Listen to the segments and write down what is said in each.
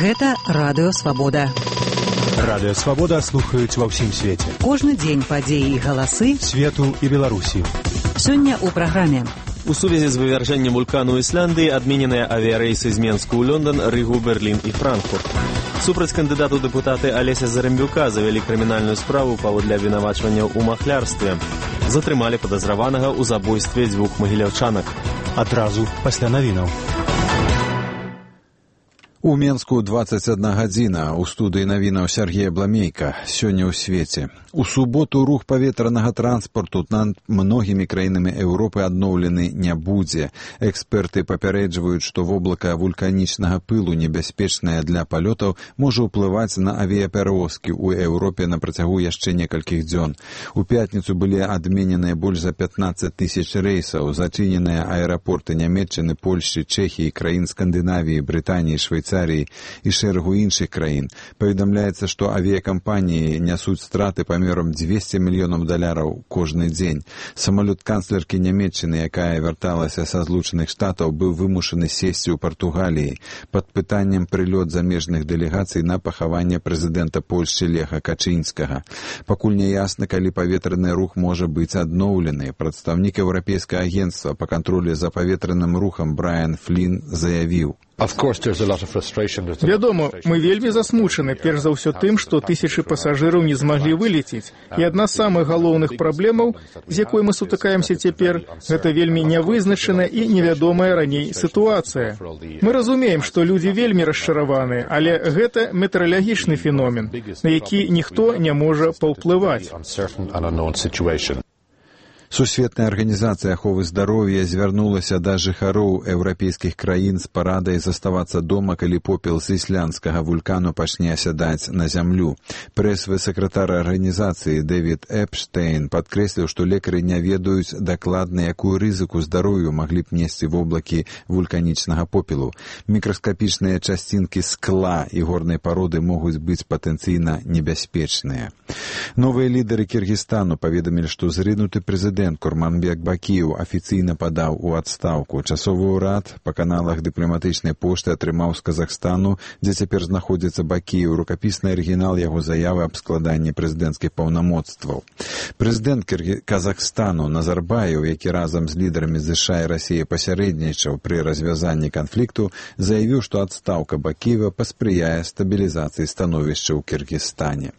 Гэта Радыё Свабода. Радыё Свабода слухаюць ва ўсім свеце. Кожны дзень падзеі і галасы свету і Беларусі. Сёння ў праграме. У сувязі з вывяржэннем вулкану Ісландыі адмененыя авіярэйсы з Менску ў Лондон, Рыгу, Берлін і Франкфурт. Супраць кандыдату дэпутаты Алеся Зарембюка завялі крымінальную справу паводле абвінавачванняў у махлярстве. Затрымалі падазраванага ў забойстве 2 магіляўчанак. Адразу пасля навінаў. У Менску 21 гадзіна. У студыі навінаў Сергея Бламейка. Сёння ў свеце. У суботу рух паветранага транспарту над многімі краінамі Еўропы адноўлены не будзе. Эксперты папярэджваюць, што воблака вулканічнага пылу, небяспечнае для палётаў, можа ўплываць на авіяперавозкі ў Еўропе на працягу яшчэ некалькіх дзён. У пятніцу былі адмененыя больш за 15 тысяч рэйсаў, зачыненыя аэрапорты Нямецчыны, Польшчы, Чэхіі, краін Скандынавіі, Брытаніі, Швейцарыі і шэрагу іншых краін. Паведамляецца, што авіякампаніі нясуць страты памерам $200 мільёнаў кожны дзень. Самалёт канцлеркі Нямецчыны, якая вярталася са Злучаных Штатаў, быў вымушаны сесці ў Партугаліі. Пад пытаннем прылёт замежных дэлегацый на пахаванне прэзідэнта Польшчы Леха Качынскага. Пакуль не ясна, калі паветраны рух можа быць адноўлены. Прадстаўнік Еўрапейскага агенцтва па кантролі за паветраным рухам Брайан Флін заявіў: Вядома, мы вельмі засмучаны, перш за ўсё тым, што тысячы пасажыраў не змаглі вылецець. І адна з самых галоўных праблемаў, з якой мы сутыкаемся цяпер, гэта вельмі нявызначаная і невядомая раней сітуацыя. Мы разумеем, што людзі вельмі расчараваны, але гэта метэаралагічны феномен, на які ніхто не можа паўплываць. Сусветная арганізацыя аховы здароўя звярнулася да жыхароў еўрапейскіх краін з парадай заставацца дома, калі попел з ісландскага вулкану пачне асядаць на зямлю. Прэсавы сакратар арганізацыі Дэвід Эпштейн падкрэсліў, што лекары не ведаюць дакладна, якую рызыку здароўю маглі б несці воблакі вулканічнага попелу. Мікраскапічныя часцінкі скла і горнай пароды могуць быць патэнцыйна небяспечныя. Новыя лідары Кіргізстану паведамілі, што зрынуты прэзідэнт Курманбек Бакіеў афіцыйна падаў у адстаўку. Часовы ўрад па каналах дыпламатычнай пошты атрымаў з Казахстану, дзе цяпер знаходзіцца Бакіеў, рукапісны арыгінал яго заявы аб складанні прэзідэнцкіх паўнамоцтваў. Прэзідэнт Казахстану Назарбаеў, які разам з лідарамі ЗША і Расіі пасярэднічаў пры развязанні канфлікту, заявіў, што адстаўка Бакіева паспрыяе стабілізацыі становішча ў Кіргізстане.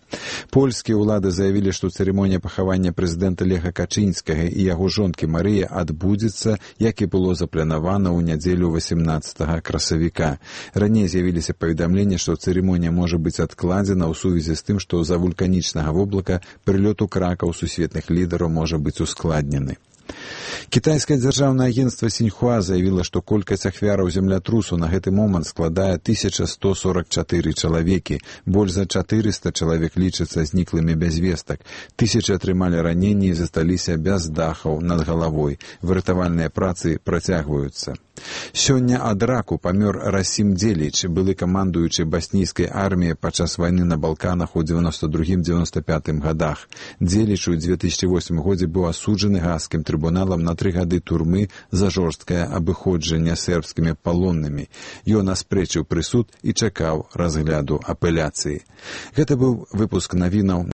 Польскія ўлады заявілі, што цырымонія пахавання прэзідэнта Леха Качынскага і яго жонкі Марыі адбудзецца, як і было запланавана ў нядзелю 18 красавіка. Раней з'явіліся паведамленні, што цырымонія можа быць адкладзена ў сувязі з тым, што з-за вулканічнага воблака прылёт у кракаў сусветных лідараў можа быць ускладнены. Кітайскае дзяржаўнае агенцтва Сіньхуа заявіла, што колькасць ахвяраў землятрусу на гэты момант складае 1144 чалавекі. Больш за 400 чалавек лічацца зніклымі без вестак. Тысячы атрымалі раненні і засталіся без дахаў над галавой. Выратавальныя працы працягваюцца. Сёння ад раку памёр Расім Дзеліч, былы камандуючы баснійскай арміі падчас вайны на Балканах у 92-95 гадах. Дзеліч у 2008 годзе быў асуджаны гаагскім трыбуналам на 3 гады турмы за жорсткае абыходжанне сербскімі палоннымі. Ён аспрэчыў прысуд і чакаў разгляду апеляцыі. Гэта быў выпуск навінаў